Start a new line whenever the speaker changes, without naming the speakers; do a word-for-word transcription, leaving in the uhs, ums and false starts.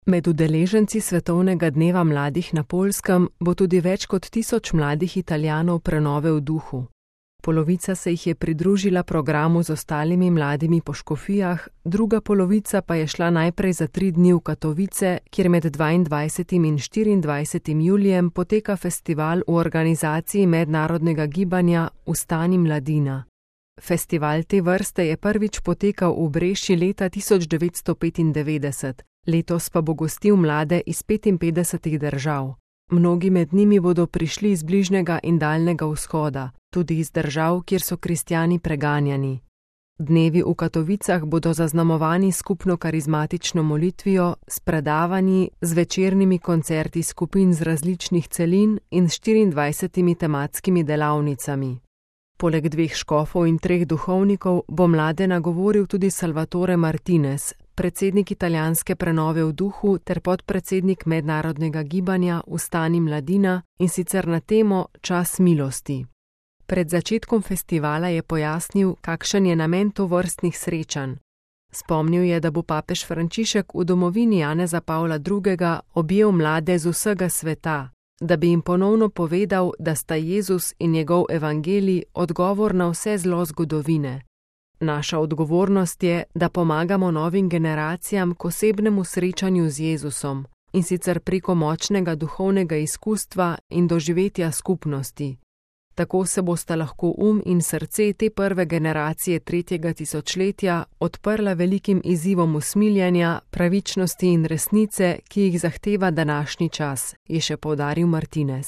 Med udeleženci Svetovnega dneva mladih na Poljskem bo tudi več kot tisoč mladih Italijanov prenove v duhu. Polovica se jih je pridružila programu z ostalimi mladimi po škofijah, druga polovica pa je šla najprej za tri dni v Katovice, kjer med dvaindvajsetim in štiriindvajsetim julijem poteka festival v organizaciji mednarodnega gibanja Vstani mladina. Festival te vrste je prvič potekal v Breši leta tisoč devetsto petindevetdeset, letos pa bo gostil mlade iz petinpetdesetih držav. Mnogi med njimi bodo prišli iz bližnjega in daljnega vzhoda, tudi iz držav, kjer so kristjani preganjani. Dnevi v Katovicah bodo zaznamovani skupno karizmatično molitvijo, s predavanji, z večernimi koncerti skupin z različnih celin in s štiriindvajsetimi tematskimi delavnicami. Poleg dveh škofov in treh duhovnikov bo mlade nagovoril tudi Salvatore Martinez, predsednik italijanske prenove v duhu ter podpredsednik mednarodnega gibanja Vstani mladina, in sicer na temo Čas milosti. Pred začetkom festivala je pojasnil, kakšen je namen tovrstnih srečanj. Spomnil je, da bo papež Frančišek v domovini Janeza Pavla drugega objel mlade z vsega sveta, da bi jim ponovno povedal, da sta Jezus in njegov evangelij odgovor na vse zlo zgodovine. Naša odgovornost je, da pomagamo novim generacijam k osebnemu srečanju z Jezusom, in sicer preko močnega duhovnega izkustva in doživetja skupnosti. Tako se bosta lahko um in srce te prve generacije tretjega tisočletja odprla velikim izzivom usmiljenja, pravičnosti in resnice, ki jih zahteva današnji čas, je še poudaril Martinez.